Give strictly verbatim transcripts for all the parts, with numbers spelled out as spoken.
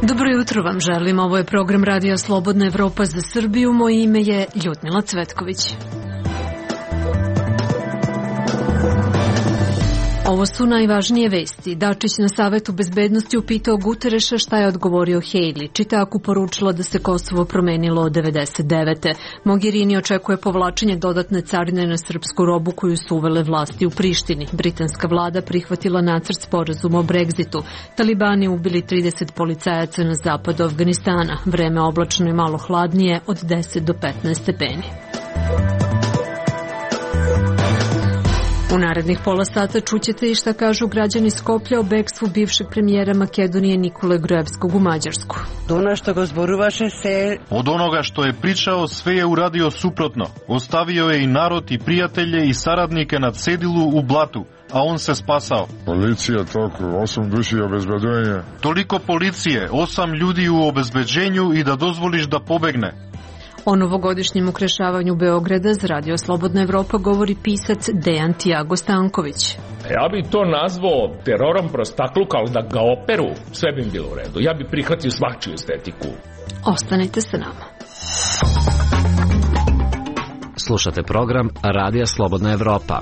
Dobro jutro vam želim, ovo je program Radija Slobodna Evropa za Srbiju, moje ime je Ljudmila Cvetković. Ovo su najvažnije vesti. Dačić na Savetu bezbednosti upitao Gutereša šta je odgovorio Hejli. Čitaku poručila da se Kosovo promenilo od devedeset devete. Mogherini očekuje povlačenje dodatne carine na srpsku robu koju su uvele vlasti u Prištini. Britanska vlada prihvatila nacrt sporazuma o Brexitu. Talibani ubili trideset policajaca na zapadu Afganistana. Vreme oblačno i malo hladnije od deset do petnaest stepeni. U narednih pola sata čućete i šta kažu građani Skoplja o bekstvu bivšeg premijera Makedonije Nikole Gruevskog u Mađarsku. Od onoga što je pričao, sve je uradio suprotno. Ostavio je i narod i prijatelje i saradnike na cedilu u blatu, a on se spasao. Policija toliko, osam duši obezbeđenja. Toliko policije, osam ljudi u obezbeđenju i da dozvoliš da pobegne. O novogodišnjem ukrešavanju Beograda za Radio Slobodna Evropa govori pisac Dejan Tiago Stanković. Ja bi to nazvao terorom prostakluka, ali da ga operu, sve bi bilo u redu. Ja bi prihvatio svačiju estetiku. Ostanite sa nama. Slušate program Radija Slobodna Evropa.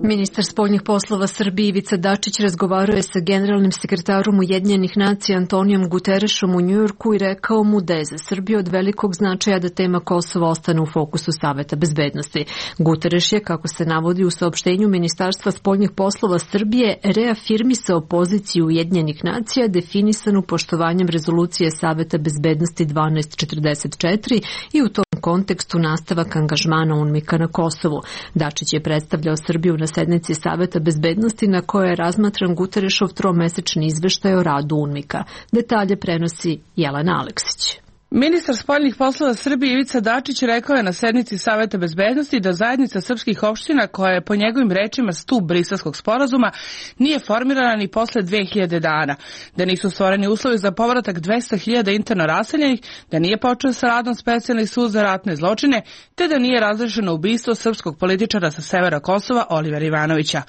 Ministar spoljnih poslova Srbije Ivica Dačić razgovarao je sa generalnim sekretarom Ujedinjenih nacija Antonijom Guterešom u Njujorku i rekao mu da je za Srbiju od velikog značaja da tema Kosova ostane u fokusu Saveta bezbednosti. Gutereš je, kako se navodi u saopštenju Ministarstva spoljnih poslova Srbije, reafirmisao poziciju Ujedinjenih nacija definisanu poštovanjem rezolucije Saveta bezbednosti dvanaest četrdeset četiri i u tom kontekstu nastavak angažmana UNMIK-a na Kosovu. Dačić je predstavljao Srbiju na sednici Saveta bezbednosti na kojoj je razmatran Guterešov tromesečni izveštaj o radu UNMIK-a. Detalje prenosi Jelena Aleksić. Ministar spoljnih poslova Srbije Ivica Dačić rekao je na sednici Saveta bezbednosti da zajednica srpskih opština, koja je po njegovim rečima stup Briselskog sporazuma, nije formirana ni posle dve hiljade dana, da nisu stvoreni uslovi za povratak dvesta hiljada interno raseljenih, da nije počeo sa radom specijalni sud za ratne zločine, te da nije razrešeno ubistvo srpskog političara sa severa Kosova Olivera Ivanovića.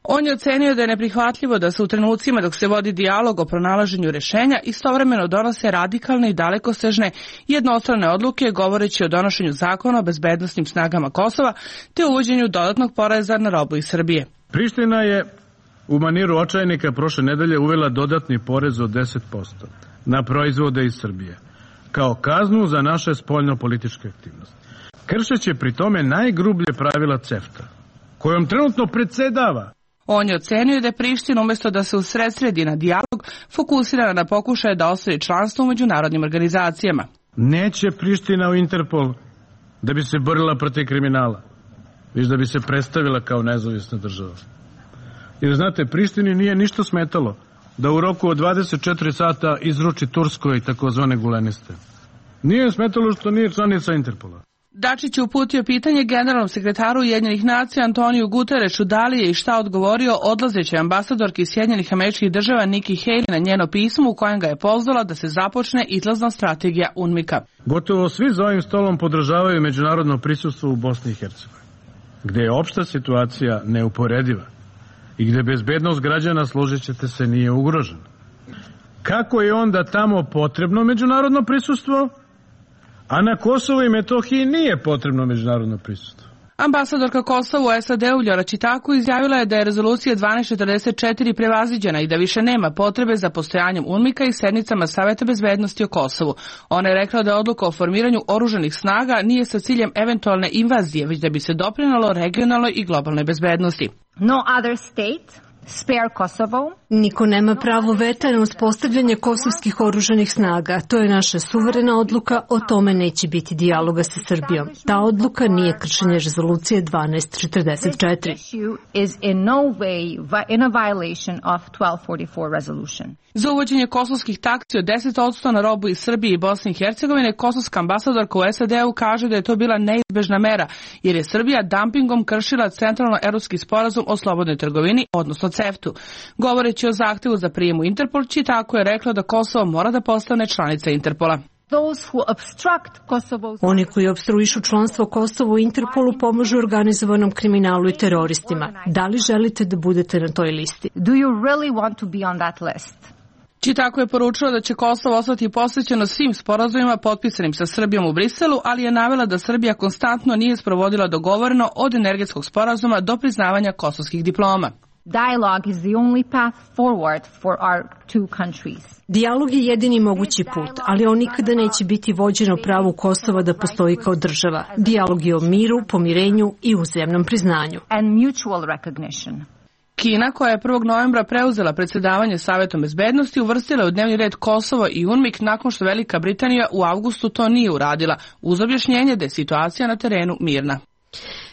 On je ocenio da je neprihvatljivo da se u trenucima dok se vodi dijalog o pronalaženju rešenja istovremeno donose radikalne i dalekosežne jednostrane odluke govoreći o donošenju zakona o bezbednosnim snagama Kosova te uvođenju dodatnog poreza na robu iz Srbije. Priština je u maniru očajnika prošle nedelje uvela dodatni porez od deset posto na proizvode iz Srbije kao kaznu za naše spoljno-političke aktivnosti. Kršeće pri tome najgrublje pravila CEFTA, kojom trenutno predsedava. On je ocenio da je Priština umjesto da se usredsredi na dijalog fokusirana na pokušaje da osvoji članstvo u međunarodnim organizacijama. Neće Priština u Interpol da bi se borila protiv kriminala, već da bi se predstavila kao nezavisna država. Jer znate, Prištini nije ništa smetalo da u roku od dvadeset četiri sata izruči Turskoj takozvane guleniste. Nije smetalo što nije članica Interpola. Dačić je uputio pitanje generalnom sekretaru Ujedinjenih nacija Antoniju Guterešu da li je i šta odgovorio odlazećoj ambasadorki Sjedinjenih Američkih Država Nikki Haley na njeno pismo u kojem ga je pozvala da se započne izlazna strategija UNMIK-a. Gotovo svi za ovim stolom podržavaju međunarodno prisustvo u Bosni i Hercegovini, gde je opšta situacija neuporediva i gde bezbednost građana, složit ćete se, nije ugrožena. Kako je onda tamo potrebno međunarodno prisustvo, a na Kosovu i Metohiji nije potrebno međunarodno prisustvo? Ambasadorka Kosova u S A D-u Ljora Čitaku izjavila je da je rezolucija dvanaest četrdeset četiri prevaziđena i da više nema potrebe za postojanjem UNMIK-a i sednicama Saveta bezbednosti o Kosovu. Ona je rekla da odluka o formiranju oružanih snaga nije sa ciljem eventualne invazije, već da bi se doprinalo regionalnoj i globalnoj bezbednosti. No other state spare Kosovo. Niko nema pravo veta na uspostavljanje kosovskih oružanih snaga. To je naša suverena odluka, o tome neće biti dijaloga sa Srbijom. Ta odluka nije kršenje rezolucije dvanaest četrdeset četiri. Za uvođenje kosovskih taksi od deset odsto na robu iz Srbije i Bosne i Hercegovine, kosovska ambasadorka u S A D-u kaže da je to bila neizbežna mera, jer je Srbija dumpingom kršila centralno-evropski sporazum o slobodnoj trgovini, odnosno CEFTA-u. Govoreći o zahtevu za prijem u Interpol, Čitako je rekla da Kosovo mora da postane članica Interpola. Oni koji opstruišu članstvo Kosova u Interpolu pomažu organizovanom kriminalu i teroristima. Da li želite da budete na toj listi? Do you really want to be on that list? Tako je poručila da će Kosovo ostati posvećeno svim sporazumima potpisanim sa Srbijom u Briselu, ali je navela da Srbija konstantno nije sprovodila dogovoreno od energetskog sporazuma do priznavanja kosovskih diploma. Dialogue is the only path forward for our two countries. Dijalog je jedini mogući put, ali on nikada neće biti vođen o pravu Kosova da postoji kao država. Dijalog je o miru, pomirenju i uzajamnom priznanju. And mutual recognition. Kina, koja je prvog novembra preuzela predsjedavanje Savetom bezbednosti, uvrstila je u dnevni red Kosovo i UNMIK nakon što Velika Britanija u avgustu to nije uradila, uz objašnjenje da je situacija na terenu mirna.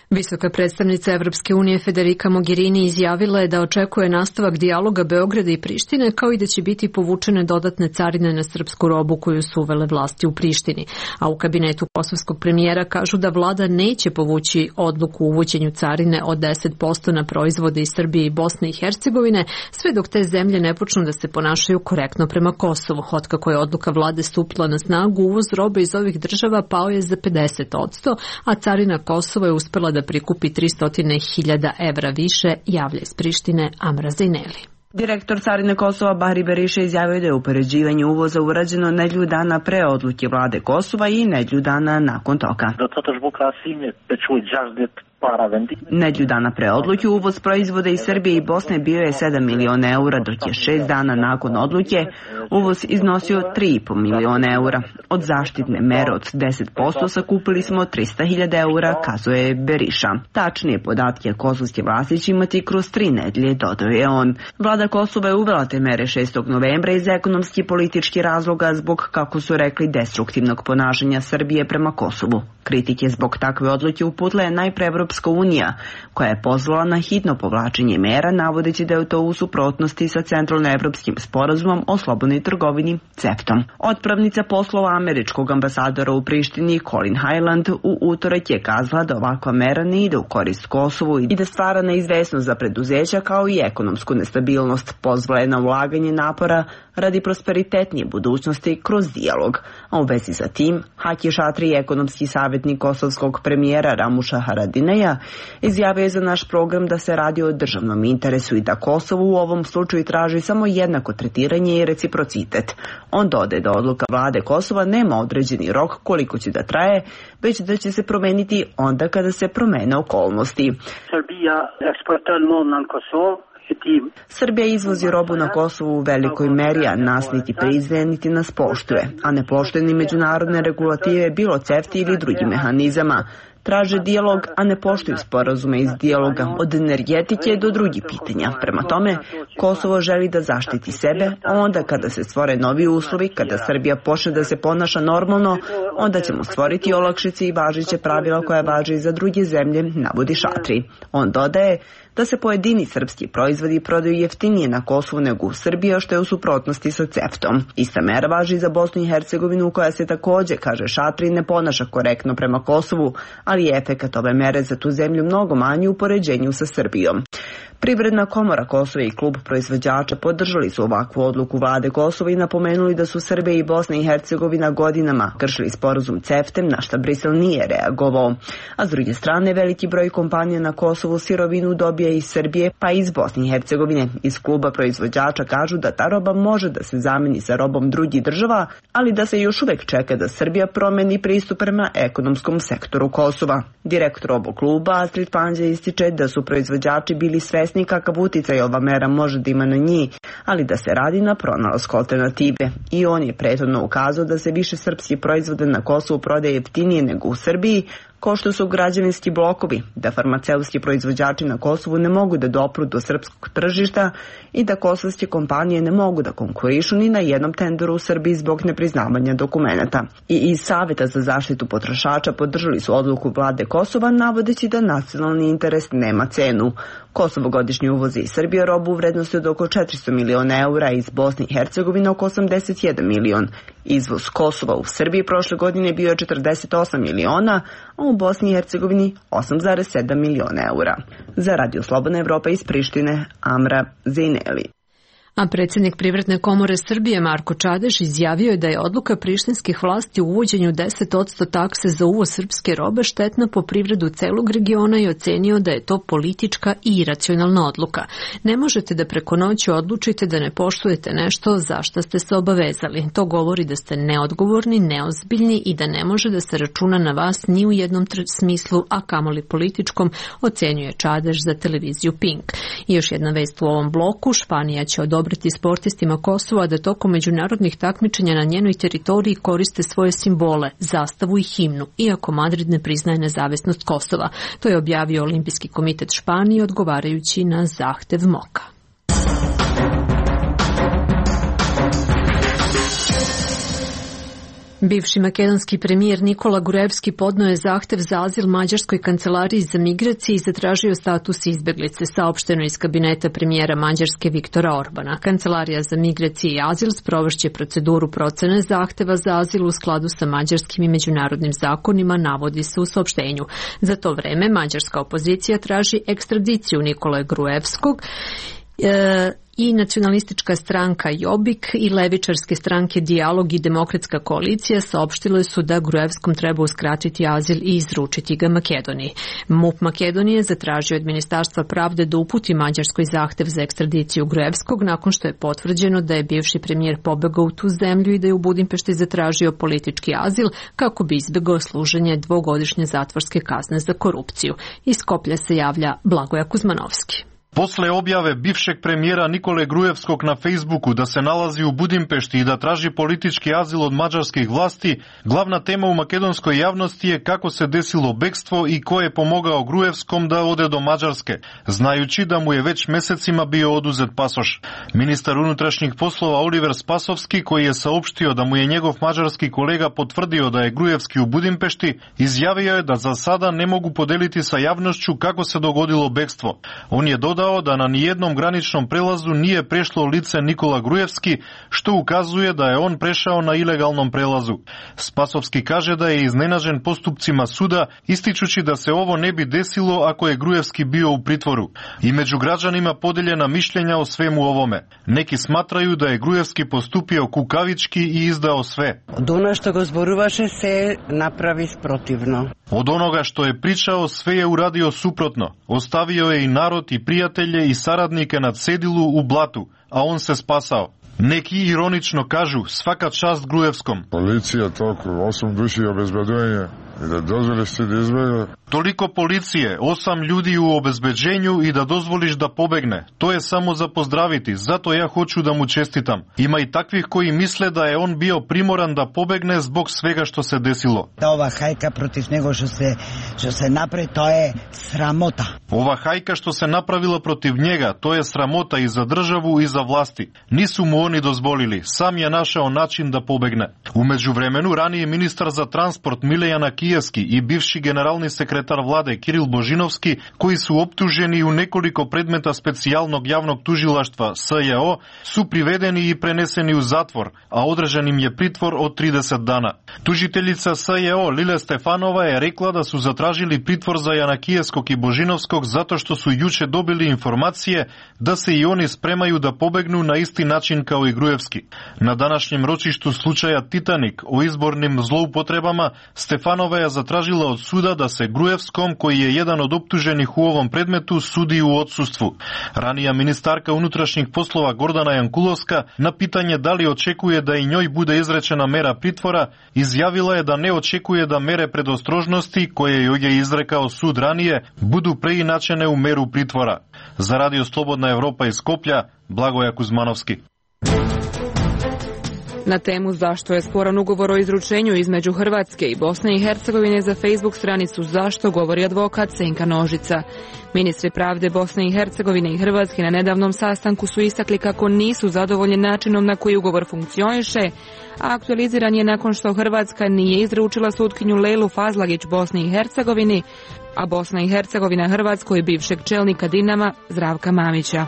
Visoka predstavnica Evropske unije Federica Mogherini izjavila je da očekuje nastavak dijaloga Beograda i Prištine, kao i da će biti povučene dodatne carine na srpsku robu koju su uvele vlasti u Prištini. A u kabinetu kosovskog premijera kažu da vlada neće povući odluku o uvođenju carine od deset posto na proizvode iz Srbije i Bosne i Hercegovine, sve dok te zemlje ne počnu da se ponašaju korektno prema Kosovu. Otkako je odluka vlade stupila na snagu, uvoz robe iz ovih država pao je za pedeset posto, a carina Kosova je uspela da prikupi tristo hiljada evra više, javlja iz Prištine Amra Zejneli. Direktor carine Kosova Bahri Beriša izjavio da je upoređivanje uvoza urađeno nedlju dana pre odluke vlade Kosova i nedlju dana nakon toga. Nedlju dana pre odluke uvoz proizvoda iz Srbije i Bosne bio je sedam miliona eura, dok je šest dana nakon odluke uvoz iznosio tri i po miliona eura. Od zaštitne mere od deset posto sakupili smo trista hiljada eura, kazuje Beriša. Tačnije podatke kosovske vlasti će imati kroz tri nedlje, dodao je on. Vlada Kosova je uvela te mere šestog novembra iz ekonomski i politički razloga zbog, kako su rekli, destruktivnog ponašanja Srbije prema Kosovu. Kritike zbog takve odluke uputila je najpre Evropska unija, koja je pozvala na hitno povlačenje mera, navodeći da je to u suprotnosti sa Centralnoevropskim sporazumom o slobodnoj trgovini CEFTA-om. Otpravnica poslova američkog ambasadora u Prištini Colin Highland u utorak je kazala da ovakva mera ne ide u korist Kosovu i da stvara neizvesnost za preduzeća kao i ekonomsku nestabilnost. Pozvala je na ulaganje napora radi prosperitetnije budućnosti kroz dijalog. A u vezi sa tim, Haki Šatri, ekonomski savjetnik kosovskog premijera Ramuša Haradineja, izjavio je za naš program da se radi o državnom interesu i da Kosovo u ovom slučaju traži samo jednako tretiranje i reciprocitet. On dodaje da odluka vlade Kosova nema određeni rok koliko će da traje, već da će se promeniti onda kada se promene okolnosti. Srbija eksportira na Kosovo. Srbija izvozi robu na Kosovu u velikoj meri, a nas niti priznaje, niti nas poštuje, a ne poštuje ni međunarodne regulative, bilo CEFTA ili drugi mehanizama. Traže dijalog, a ne poštuju sporazume iz dijaloga, od energetike do drugih pitanja. Prema tome, Kosovo želi da zaštiti sebe, a onda kada se stvore novi uslovi, kada Srbija počne da se ponaša normalno, onda ćemo stvoriti olakšice i važiće pravila koja važe i za druge zemlje, navodi Šatri. On dodaje da se pojedini srpski proizvodi prodaju jeftinije na Kosovu nego u Srbiji, što je u suprotnosti sa CEFTA-om. Ista mera važi i za Bosnu i Hercegovinu, koja se takođe, kaže Šatri, ne ponaša korektno prema Kosovu, ali je efekat ove mere za tu zemlju mnogo manji u poređenju sa Srbijom. Privredna komora Kosova i klub proizvođača podržali su ovakvu odluku vlade Kosova i napomenuli da su Srbija i Bosna i Hercegovina godinama kršili sporazum CEFTA, na šta Brisel nije reagovao. A s druge strane, veliki broj kompanija na Kosovu sirovinu dobija iz Srbije pa i iz Bosne i Hercegovine. Iz kluba proizvođača kažu da ta roba može da se zameni sa robom drugih država, ali da se još uvek čeka da Srbija promeni pristup prema ekonomskom sektoru Kosova. Direktor ovog kluba Astrid Panđa ističe da su proizvođači bili svesni kakav uticaj ova mera može da ima na njih, ali da se radi na pronalasku alternative. I on je prethodno ukazao da se više srpski proizvode na Kosovu prodaje jeftinije nego u Srbiji, kao što su građevinski blokovi, da farmaceutski proizvođači na Kosovu ne mogu da dopru do srpskog tržišta i da kosovske kompanije ne mogu da konkurišu ni na jednom tenderu u Srbiji zbog nepriznavanja dokumenata. I iz Saveta za zaštitu potrošača podržali su odluku vlade Kosova, navodeći da nacionalni interes nema cenu. Kosovo godišnje uvozi iz Srbije robu u vrednosti od oko četiristo miliona eura, iz Bosne i Hercegovine oko osamdeset jedan milion. Izvoz Kosova u Srbiji prošle godine bio je četrdeset osam miliona, a u Bosni i Hercegovini osam zarez sedam miliona eura. Za Radio Slobodna Evropa iz Prištine, Amra Zejneli. A predsjednik Privredne komore Srbije Marko Čadež izjavio je da je odluka prištinskih vlasti u uvođenju deset posto takse za uvoz srpske robe štetna po privredu celog regiona i ocenio da je to politička i iracionalna odluka. Ne možete da preko noći odlučite da ne poštujete nešto za šta ste se obavezali. To govori da ste neodgovorni, neozbiljni i da ne može da se računa na vas ni u jednom smislu, a kamoli političkom, ocenjuje Čadež za televiziju Pink. I još jedna vest u ovom bloku, Španija će odobriti sportistima Kosova da tokom međunarodnih takmičenja na njenoj teritoriji koriste svoje simbole, zastavu i himnu, iako Madrid ne priznaje nezavisnost Kosova. To je objavio Olimpijski komitet Španije odgovarajući na zahtev Moka. Bivši makedonski premijer Nikola Gruevski podneo je zahtev za azil Mađarskoj kancelariji za migracije i zatražio status izbeglice, saopšteno iz kabineta premijera Mađarske Viktora Orbana. Kancelarija za migracije i azil sprovešće proceduru procene zahteva za azil u skladu sa mađarskim i međunarodnim zakonima, navodi se u saopštenju. Za to vreme mađarska opozicija traži ekstradiciju Nikole Gruevskog e, i nacionalistička stranka Jobbik i levičarske stranke Dijalog i Demokratska koalicija saopštile su da Gruevskom treba uskratiti azil i izručiti ga Makedoniji. MUP Makedonije zatražio od Ministarstva pravde da uputi Mađarskoj zahtev za ekstradiciju Gruevskog nakon što je potvrđeno da je bivši premijer pobegao u tu zemlju i da je u Budimpešti zatražio politički azil kako bi izbegao služenje dvogodišnje zatvorske kazne za korupciju. Iz Skoplja se javlja Blagoja Kuzmanovski. Posle objave bivšeg premijera Nikole Gruevskog na Facebooku da se nalazi u Budimpešti i da traži politički azil od mađarskih vlasti, glavna tema u makedonskoj javnosti je kako se desilo bekstvo i ko je pomogao Gruevskom da ode do Mađarske, znajući da mu je već mesecima bio oduzet pasoš. Ministar unutrašnjih poslova Oliver Spasovski, koji je saopštio da mu je njegov mađarski kolega potvrdio da je Gruevski u Budimpešti, izjavio je da za sada ne mogu podeliti sa javnošću kako se dogodilo bekstvo. On je dodao da na nijednom graničnom prelazu nije prešlo lice Nikola Gruevski, što ukazuje da je on prešao na ilegalnom prelazu. Spasovski kaže da je iznenađen postupcima suda, ističući da se ovo ne bi desilo ako je Gruevski bio u pritvoru. I među građanima podeljena mišljenja o svemu ovome. Neki smatraju da je Gruevski postupio kukavički i izdao sve. Od ono što go zboruvaše se napravi sprotivno. Od onoga što je pričao sve je uradio suprotno. Ostavio je i narod i prijatelje i saradnike na cedilu u blatu, a on se spasao. Neki ironično kažu svaka čast Gruevskom. Policija toliko, osam duši obezbeđenja i da dozvoliš ti da izbega. Toliko policije, osam ljudi u obezbeđenju i da dozvoliš da pobegne. To je samo za pozdraviti, zato ja hoću da mu čestitam. Ima i takvih koji misle da je on bio primoran da pobegne zbog svega što se desilo. Da ova hajka protiv njega što se, što se napravi, to je sramota. Ova hajka što se napravila protiv njega, to je sramota i za državu i za vlasti. Nisu mu oni dozvolili, sam je našao način da pobegne. U međuvremenu, raniji ministar za transport Milejana Kijevski i bivši generalni sekretar vlade Kiril Božinovski, koji su optuženi u nekoliko predmeta specijalnog javnog tužilaštva S J O, su privedeni i preneseni u zatvor, a određen im je pritvor od trideset dana. Tužiteljica S J O Lile Stefanova je rekla da su zatražili pritvor za Janakijevskog i Božinovskog zato što su juče dobili informacije da se i oni spremaju da pobegnu na isti način kao i Gruevski. Na današnjem ročištu slučaja Titanik o izbornim zloupotrebama Stefanova je zatražila od suda da se Gruevskom, koji je jedan od optuženih u ovom predmetu, sudi u odsustvu. Ranija ministarka unutrašnjih poslova Gordana Jankulovska na pitanje da li očekuje da i njoj bude izrečena mera pritvora, izjavila je da ne očekuje da mere predostrožnosti, koje joj je izrekao sud ranije, budu preinačene u meru pritvora. Za Radio Slobodna Evropa iz Skoplja, Blagoja Kuzmanovski. Na temu zašto je sporan ugovor o izručenju između Hrvatske i Bosne i Hercegovine za Facebook stranicu Zašto govori advokat Senka Nožica. Ministri pravde Bosne i Hercegovine i Hrvatske na nedavnom sastanku su istakli kako nisu zadovoljni načinom na koji ugovor funkcioniše, a aktualiziran je nakon što Hrvatska nije izručila sutkinju Lejlu Fazlagić Bosni i Hercegovini, a Bosna i Hercegovina Hrvatskoj bivšeg čelnika Dinama Zdravka Mamića.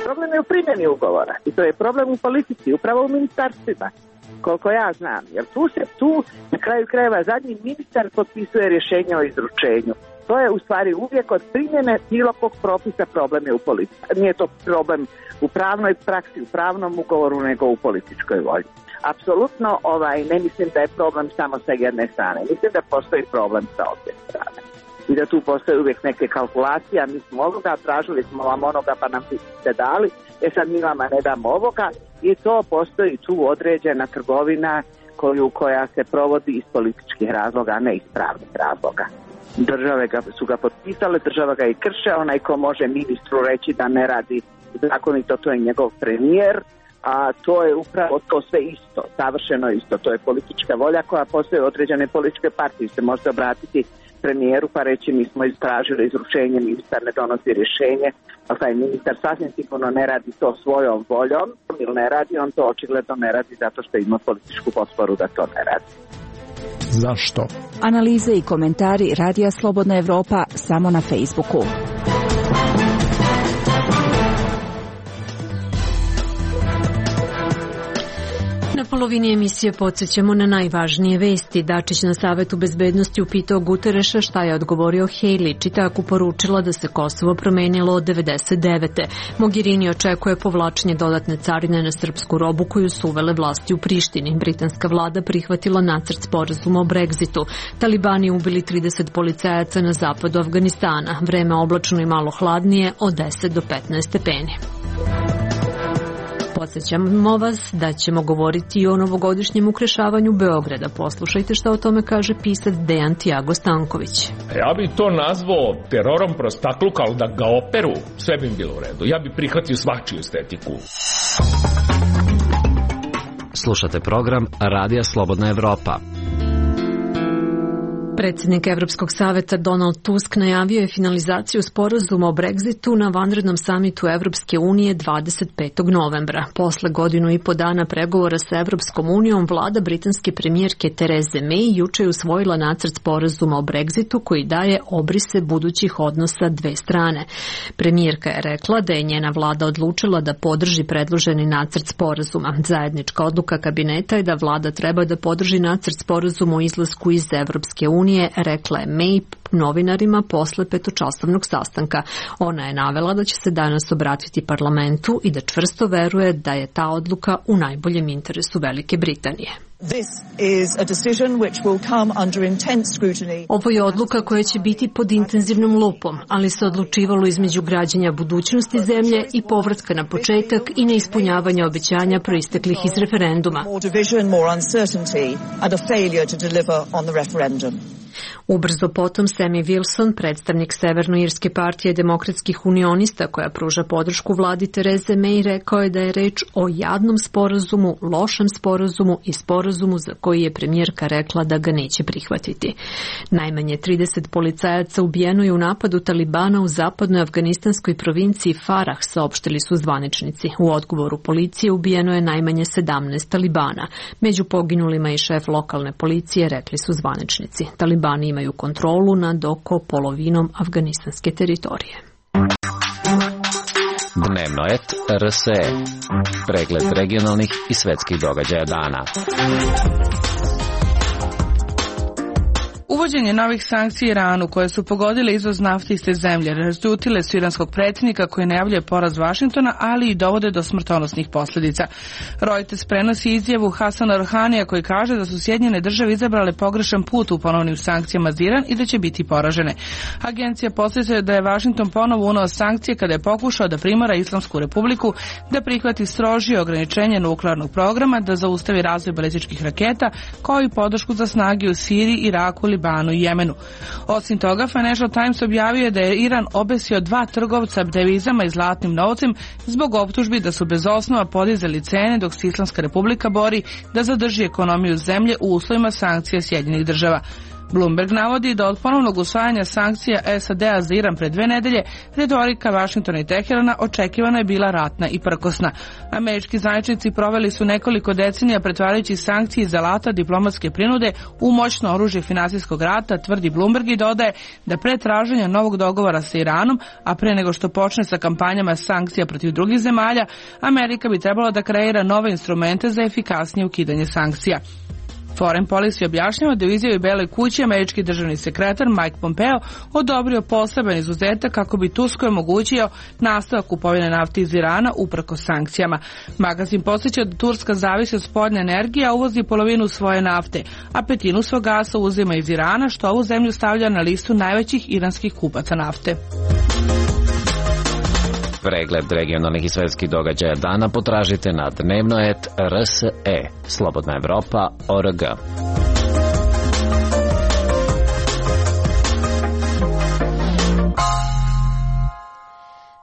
Problem je u primjeni ugovora i to je problem u politici, upravo u ministarstvima, koliko ja znam. Jer tu se tu na kraju krajeva zadnji ministar potpisuje rješenje o izručenju. To je u stvari uvijek od primjene bilo kog propisa problem je u politici. Nije to problem u pravnoj praksi, u pravnom ugovoru, nego u političkoj volji. Apsolutno ovaj, ne mislim da je problem samo sa jedne strane. Mislim da postoji problem sa obje strane. I da tu postoje uvijek neke kalkulacije, mi smo ovoga, tražili smo vam onoga pa nam ste dali, e sad mi vama ne damo ovoga i to postoji tu određena trgovina koju, koja se provodi iz političkih razloga, a ne iz pravnih razloga. Države ga, su ga potpisale, država ga i krše, onaj ko može ministru reći da ne radi zakonito, to je njegov premijer, a to je upravo to sve isto, savršeno isto, to je politička volja koja postoje određene političke partije, se možete obratiti premijeru pa reći mi smo istražili izručenje, ministar ne donosi rješenje, a taj ministar sasvim sigurno ne radi to svojom voljom ili ne radi, on to očigledno ne radi zato što ima političku potporu da to ne radi. Zašto? Analize i komentari Radija Slobodna Evropa samo na Facebooku. Na polovini emisije podsjećamo na najvažnije vesti. Dačić na Savetu bezbednosti upitao Gutereša šta je odgovorio Haley, čitaku poručila da se Kosovo promenilo od devedeset devete. Mogherini očekuje povlačenje dodatne carine na srpsku robu koju su uvele vlasti u Prištini. Britanska vlada prihvatila nacrt sporazuma o Brexitu. Talibani ubili trideset policajaca na zapadu Afganistana. Vreme oblačno i malo hladnije od deset do petnaest stepeni. Podsjećamo vas da ćemo govoriti i o novogodišnjem ukrešavanju Beograda. Poslušajte šta o tome kaže pisac Dejan Tiago Stanković. Ja bih to nazvao terorom prostakluka, ali da ga operu, sve bi im bilo u redu. Ja bih prihvatio svačiju estetiku. Slušate program Radija Slobodna Evropa. Predsjednik Evropskog saveta Donald Tusk najavio je finalizaciju sporazuma o Brexitu na vanrednom samitu Evropske unije dvadeset petog novembra. Posle godinu i po dana pregovora sa Evropskom unijom, vlada britanske premijerke Therese May juče je usvojila nacrt sporazuma o Brexitu koji daje obrise budućih odnosa dve strane. Premijerka je rekla da je njena vlada odlučila da podrži predloženi nacrt sporazuma. Zajednička odluka kabineta je da vlada treba da podrži nacrt sporazuma o izlasku iz Evropske unije, rekla je May novinarima posle petočasovnog sastanka. Ona je navela da će se danas obratiti parlamentu i da čvrsto veruje da je ta odluka u najboljem interesu Velike Britanije. Ovo je odluka koja će biti pod intenzivnom lupom, ali se odlučivalo između građanja budućnosti zemlje i povratka na početak i neispunjavanja obećanja proisteklih iz referenduma. Ubrzo potom Sammy Wilson, predstavnik Severnoirske partije demokratskih unionista koja pruža podršku vladi Therese May, rekao je da je reč o jadnom sporazumu, lošem sporazumu i sporazumu za koji je premijerka rekla da ga neće prihvatiti. Najmanje trideset policajaca ubijeno je u napadu Talibana u zapadnoj afganistanskoj provinciji Farah, saopštili su zvaničnici. U odgovoru policije ubijeno je najmanje sedamnaest Talibana. Među poginulima i šef lokalne policije, rekli su zvaničnici. Talibani imaju kontrolu nad oko polovinom afganistanske teritorije. Dnevno et R S E. Pregled regionalnih i svetskih događaja dana. Uvođenje novih sankcija Iranu koje su pogodile izvoz nafte iz te zemlje razljutile su iranskog predsjednika koji najavljuje poraz Vašingtona, ali i dovode do smrtonosnih posljedica. Reuters prenosi izjavu Hasana Rohanija koji kaže da su Sjedinjene države izabrale pogrešan put u ponovnim sankcijama za Iran i da će biti poražene. Agencija podsjeća da je Vašington ponovo uneo sankcije kada je pokušao da primora Islamsku republiku da prihvati strožije ograničenje nuklearnog programa, da zaustavi razvoj balističkih raketa, kao i podršku za snage u Siriji, Iraku, Libanu i Jemenu. Osim toga, Financial Times objavio je da je Iran obesio dva trgovca devizama i zlatnim novcem zbog optužbi da su bez osnova podizali cene dok se Islamska republika bori da zadrži ekonomiju zemlje u uslovima sankcija Sjedinjenih država. Bloomberg navodi da od ponovnog usvajanja sankcija S A D-a za Iran pred dve nedelje, retorika Vašingtona i Teherana očekivano je bila ratna i prkosna. Američki zvaničnici proveli su nekoliko decenija pretvarajući sankcije iz alata diplomatske prinude u moćno oružje finansijskog rata, tvrdi Bloomberg i dodaje da pre traženja novog dogovora sa Iranom, a pre nego što počne sa kampanjama sankcija protiv drugih zemalja, Amerika bi trebala da kreira nove instrumente za efikasnije ukidanje sankcija. Foreign Policy objašnjava da u izjavi Beloj kući američki državni sekretar Mike Pompeo odobrio poseban izuzetak kako bi Turskoj omogućio nastavak kupovine nafte iz Irana uprko sankcijama. Magazin podsjeća da Turska zavisi od spoljne energije, a uvozi polovinu svoje nafte, a petinu svog gasa uzima iz Irana, što ovu zemlju stavlja na listu najvećih iranskih kupaca nafte. Pregled regionalnih i svetskih događaja dana potražite na dnevnoet R S E, Slobodna Evropa, O R G.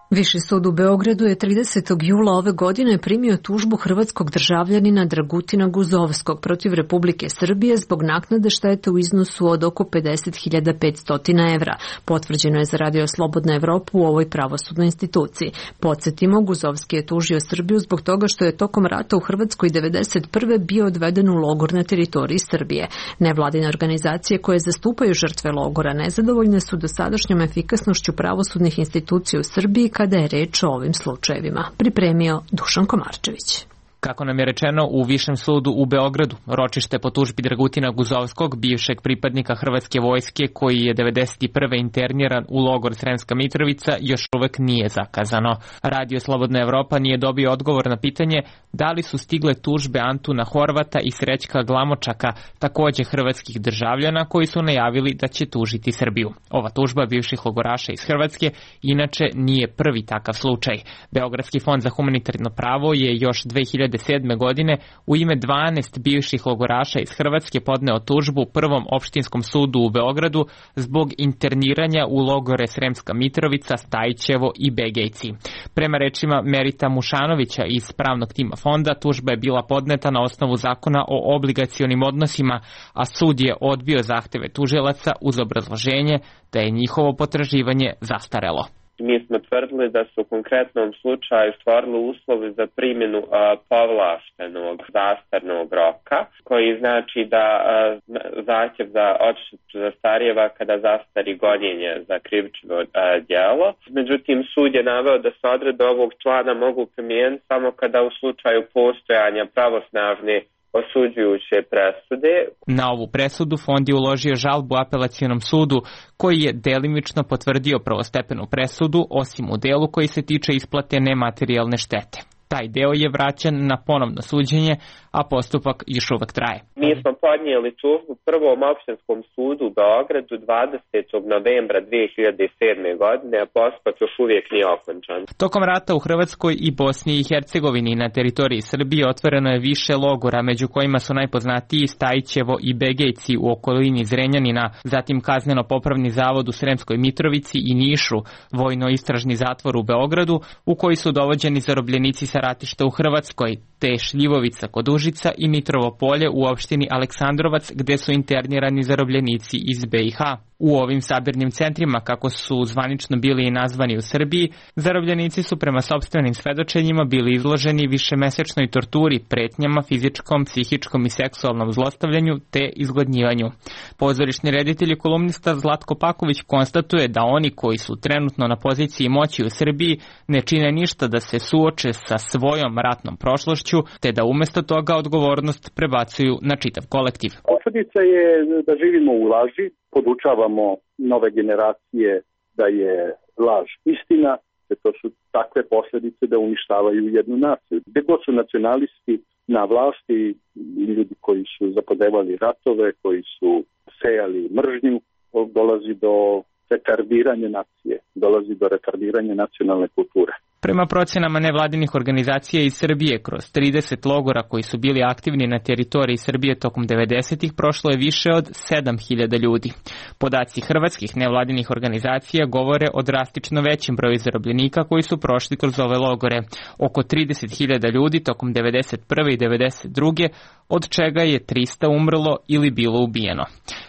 Viši sud u Beogradu je tridesetog jula ove godine primio tužbu hrvatskog državljanina Dragutina Guzovskog protiv Republike Srbije zbog naknade štete u iznosu od oko pedeset hiljada petsto evra. Potvrđeno je za Radio Slobodna Evropa u ovoj pravosudnoj instituciji. Podsjetimo, Guzovski je tužio Srbiju zbog toga što je tokom rata u Hrvatskoj devedeset prve bio odveden u logor na teritoriji Srbije. Nevladine organizacije koje zastupaju žrtve logora nezadovoljne su dosadašnjom efikasnošću pravosudnih institucija u Srbiji kada je reč o ovim slučajevima. Pripremio Dušan Komarčević. Kako nam je rečeno u Višem sudu u Beogradu, ročište po tužbi Dragutina Guzovskog, bivšeg pripadnika Hrvatske vojske koji je devedeset prve interniran u logor Sremska Mitrovica, još uvek nije zakazano. Radio Slobodna Evropa nije dobio odgovor na pitanje da li su stigle tužbe Antuna Horvata i Srećka Glamočaka, takođe hrvatskih državljana koji su najavili da će tužiti Srbiju. Ova tužba bivših logoraša iz Hrvatske inače nije prvi takav slučaj. Beogradski fond za humanitarno pravo je još dve hiljade sedme godine u ime dvanaest bivših logoraša iz Hrvatske podneo tužbu Prvom opštinskom sudu u Beogradu zbog interniranja u logore Sremska Mitrovica, Stajićevo i Begejci. Prema rečima Merita Mušanovića iz pravnog tima fonda, tužba je bila podneta na osnovu zakona o obligacionim odnosima, a sud je odbio zahteve tužilaca uz obrazloženje da je njihovo potraživanje zastarelo. Mi smo tvrdili da su u konkretnom slučaju stvorili uslovi za primjenu a, povlaštenog zastarnog roka, koji znači da a, zahtjev za odštetu zastarijeva kada zastari gonjenje za krivično a, djelo. Međutim, sud je naveo da se odredbe ovog člana mogu primijeniti samo kada u slučaju postojanja pravosnažne osuđujuće presude. Na ovu presudu fond je uložio žalbu apelacionom sudu koji je delimično potvrdio prvostepenu presudu, osim u delu koji se tiče isplate nematerijalne štete. Taj deo je vraćan na ponovno suđenje, a postupak još uvek traje. Mi smo podnijeli tužbu Prvom opštinskom sudu u Beogradu dvadesetog novembra dve hiljade sedme. godine, a postupak još uvijek nije okončan. Tokom rata u Hrvatskoj i Bosni i Hercegovini na teritoriji Srbije otvoreno je više logora, među kojima su najpoznatiji Stajićevo i Begejci u okolini Zrenjanina, zatim kazneno-popravni zavod u Sremskoj Mitrovici i Nišu, vojno-istražni zatvor u Beogradu, u koji su dovođeni zarobljenici sa ratišta u Hrvatskoj, te Šljivovica kod Užica i Mitrovo polje u opštini Aleksandrovac, gde su internirani zarobljenici iz B i H. U ovim sabirnim centrima, kako su zvanično bili i nazvani u Srbiji, zarobljenici su prema sopstvenim svedočenjima bili izloženi višemesečnoj torturi, pretnjama, fizičkom, psihičkom i seksualnom zlostavljanju te izgladnjivanju. Pozorišni reditelj i kolumnista Zlatko Paković konstatuje da oni koji su trenutno na poziciji moći u Srbiji ne čine ništa da se suoče sa svojom ratnom prošlošću, te da umesto toga odgovornost prebacuju na čitav kolektiv. Posledica je da živimo u laži, podučavamo nove generacije da je laž istina, da to su takve posljedice da uništavaju jednu naciju. Gde god su nacionalisti na vlasti, ljudi koji su zapodevali ratove, koji su sejali mržnju, dolazi do retardiranja nacije, dolazi do retardiranja nacionalne kulture. Prema procjenama nevladinih organizacija iz Srbije, kroz trideset logora koji su bili aktivni na teritoriji Srbije tokom devedesetih prošlo je više od sedam hiljada ljudi. Podaci hrvatskih nevladinih organizacija govore o drastično većem broju zarobljenika koji su prošli kroz ove logore. Oko trideset hiljada ljudi tokom devedeset prve i devedeset druge od čega je trista umrlo ili bilo ubijeno.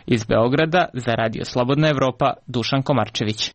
Iz Beograda za Radio Slobodna Evropa, Dušan Komarčević.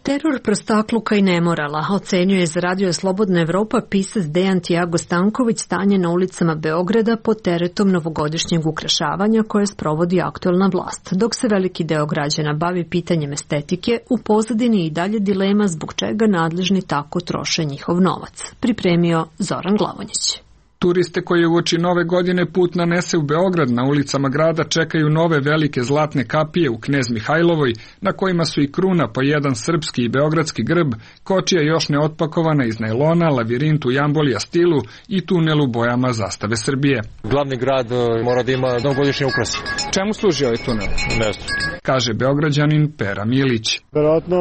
Teror prostakluka i nemorala ocenjuje za Radio Slobodna Evropa pisac Dejan Tiago Stanković stanje na ulicama Beograda pod teretom novogodišnjeg ukrašavanja koje sprovodi aktuelna vlast. Dok se veliki deo građana bavi pitanjem estetike, u pozadini i dalje dilema zbog čega nadležni tako troše njihov novac. Pripremio Zoran Glavonjić. Turiste koji uoči nove godine put nanese u Beograd na ulicama grada čekaju nove velike zlatne kapije u Knez Mihajlovoj, na kojima su i kruna po jedan srpski i beogradski grb, kočija još neotpakovana iz najlona, lavirint u jambolija stilu i tunel u bojama zastave Srbije. Glavni grad mora da ima novogodišnje ukrase. Čemu služi ovaj tunel? Ne znam. Kaže Beograđanin Pera Milić. Verovatno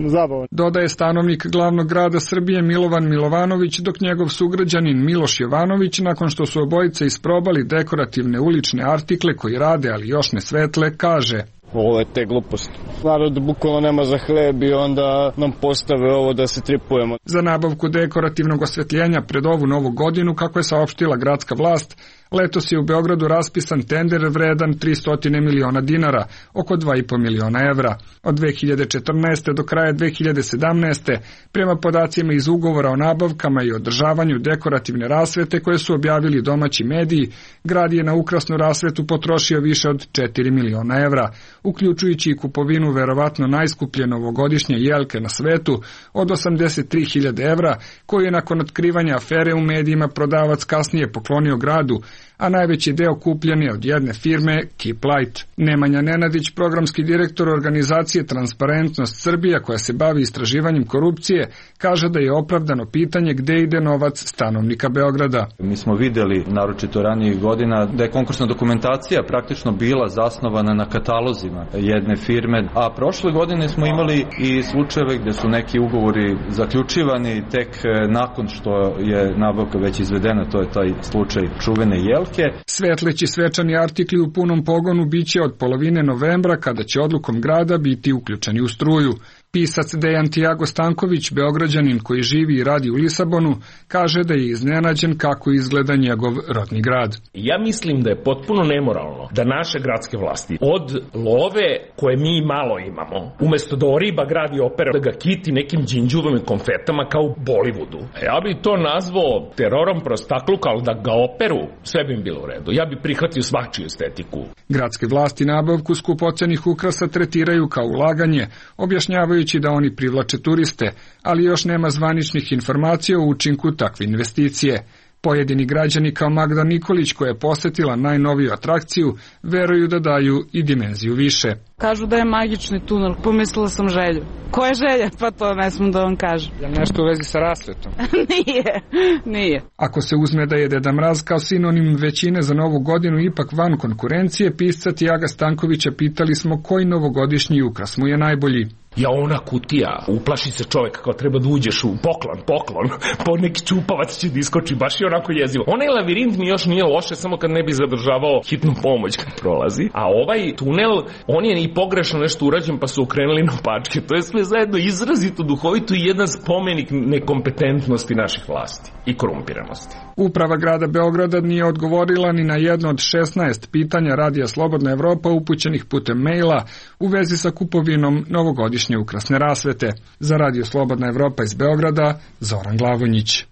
zabavan. Dodaje stanovnik glavnog grada Srbije Milovan Milovanović, dok njegov sugrađanin Miloš Jovanović, nakon što su obojice isprobali dekorativne ulične artikle koji rade, ali još ne svetle, kaže: Ovo je te gluposti. Narod bukvalno nema za hleb i onda nam postave ovo da se tripujemo. Za nabavku dekorativnog osvetljenja pred ovu novu godinu, kako je saopštila gradska vlast, letos je u Beogradu raspisan tender vredan tristo miliona dinara, oko dva i po miliona evra. Od dve hiljade četrnaeste. do kraja dve hiljade sedamnaeste. prema podacima iz ugovora o nabavkama i održavanju dekorativne rasvete koje su objavili domaći mediji, grad je na ukrasnu rasvetu potrošio više od četiri miliona evra, uključujući i kupovinu verovatno najskuplje novogodišnje jelke na svetu od osamdeset tri hiljade evra, koju je nakon otkrivanja afere u medijima prodavac kasnije poklonio gradu, a najveći deo kupljen je od jedne firme Keep Light. Nemanja Nenadić, programski direktor organizacije Transparentnost Srbija koja se bavi istraživanjem korupcije, kaže da je opravdano pitanje gde ide novac stanovnika Beograda. Mi smo videli, naročito ranijih godina, da je konkursna dokumentacija praktično bila zasnovana na katalozima jedne firme, a prošle godine smo imali i slučajeve gde su neki ugovori zaključivani tek nakon što je nabavka već izvedena, to je taj slučaj čuvene jelke. Svetleći svečani artikli u punom pogonu biće od polovine novembra, kada će odlukom grada biti uključeni u struju. Pisac Dejan Tiago Stanković, Beograđanin koji živi i radi u Lisabonu, kaže da je iznenađen kako izgleda njegov rodni grad. Ja mislim da je potpuno nemoralno da naše gradske vlasti od love koje mi malo imamo, umesto da oriba gradi opera, da ga kiti nekim đinđuvom i konfetama kao u Bollywoodu. Ja bi to nazvao terorom prostakluka, ali da ga operu, sve bi im bilo u redu. Ja bi prihvatio svačiju estetiku. Gradske vlasti nabavku skupocenih ukrasa tretiraju kao ulaganje, objašnjavaju da oni privlače turiste, ali još nema zvaničnih informacija o učinku takve investicije. Pojedini građani kao Magda Nikolić, koja je posetila najnoviju atrakciju, veruju da daju i dimenziju više. Kažu da je magični tunel, pomislila sam Želju. Ko je Želja? Pa to ne smem da vam kažem. Je nešto u vezi sa rasvetom? Nije, nije. Ako se uzme da je Deda Mraz kao sinonim većine za novu godinu ipak van konkurencije, pisca Tiaga Stankovića pitali smo koji novogodišnji ukras mu je najbolji. Ja, ona kutija, uplaši se čovjek kao treba da uđeš u poklon, poklon, po neki čupavac će da iskoči, baš je onako jezivo. Onaj lavirint mi još nije loše, samo kad ne bi zadržavao hitnu pomoć kad prolazi, a ovaj tunel, on je i pogrešno nešto urađen pa su okrenuli na pačke, to je sve zajedno izrazito duhovito i jedan spomenik nekompetentnosti naših vlasti i korumpiranosti. Uprava grada Beograda nije odgovorila ni na jedno od šesnaest pitanja Radija Slobodna Evropa upućenih putem maila u vezi sa kupovinom novogodišnje ukrasne rasvete. Za Radio Slobodna Evropa iz Beograda, Zoran Glavonjić.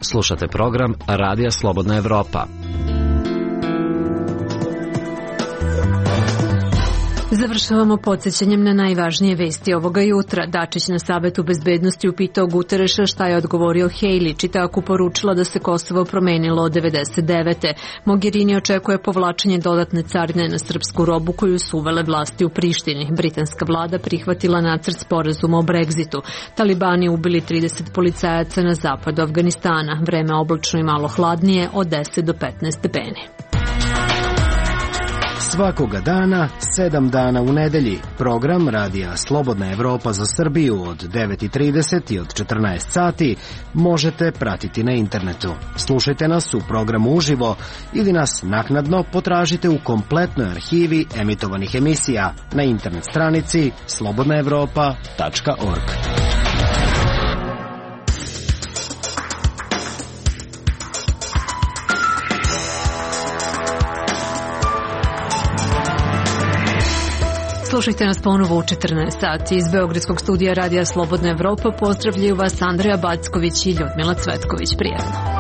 Slušate program Radija Slobodna Evropa. Završavamo podsjećanjem na najvažnije vesti ovoga jutra. Dačić na Savetu bezbednosti upitao Gutereša šta je odgovorio Hejli, čitaku poručila da se Kosovo promenilo od devedeset devete. Mogherini očekuje povlačenje dodatne carine na srpsku robu koju su uvele vlasti u Prištini. Britanska vlada prihvatila nacrt sporazuma o Brexitu. Talibani ubili trideset policajaca na zapadu Afganistana. Vreme oblačno i malo hladnije od deset do petnaest stepeni. Svakoga dana, sedam dana u nedelji. Program Radija Slobodna Evropa za Srbiju od devet i trideset i od četrnaest sati možete pratiti na internetu. Slušajte nas u programu uživo ili nas naknadno potražite u kompletnoj arhivi emitovanih emisija na internet stranici slobodna evropa tačka org. Slušajte nas ponovo u četrnaest sati. Iz Beogradskog studija Radija Slobodna Evropa pozdravljaju vas Andreja Backović i Ljudmila Cvetković. Prijatno.